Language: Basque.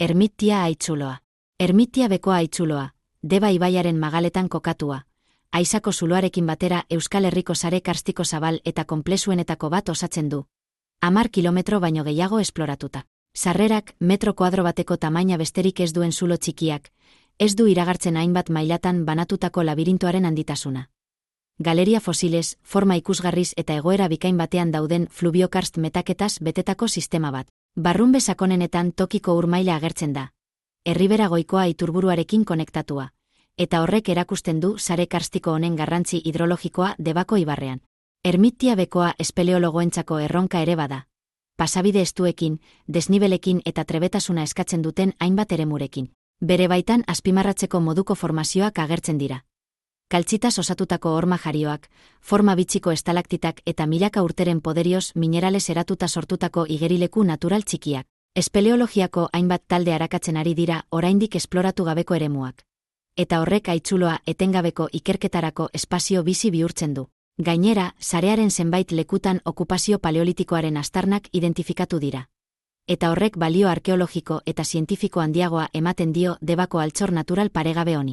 Ermitia haitzuloa. Ermitia bekoa haitzuloa, Deba ibaiaren magaletan kokatua, Aizako zuloarekin batera Euskal Herriko sare karstiko zabal eta konplexuenetako bat osatzen du. 10 kilometro baino gehiago esploratuta. Sarrerak, metro kuadro bateko tamaina besterik ez duen zulo txikiak, ez du iragartzen hainbat mailatan banatutako labirintoaren handitasuna. Galeria fosiles, forma ikusgarriz eta egoera bikain batean dauden fluviokarst metaketaz betetako sistema bat. Barrunbe sakonenetan tokiko ur maila agertzen da. Erribera goikoa iturburuarekin konektatua. Eta horrek erakusten du sare karstiko honen garrantzi hidrologikoa Debako ibarrean. Ermitia bekoa espeleologoentzako erronka ere bada. Pasabide estuekin, desnibelekin eta trebetasuna eskatzen duten hainbat eremurekin. Bere baitan azpimarratzeko moduko formazioak agertzen dira. Kaltzitaz osatutako horma jarioak, forma bitxiko estalaktitak eta milaka urteren poderioz minerales eratuta sortutako igerileku natural txikiak. Espeleologiako hainbat talde arakatzen ari dira oraindik esploratu gabeko eremuak. Eta horrek haitzuloa etengabeko ikerketarako espazio bizi bihurtzen du. Gainera, sarearen zenbait lekutan okupazio paleolitikoaren aztarnak identifikatu dira. Eta horrek balio arkeologiko eta zientifiko handiagoa ematen dio Debako altxor natural paregabe honi.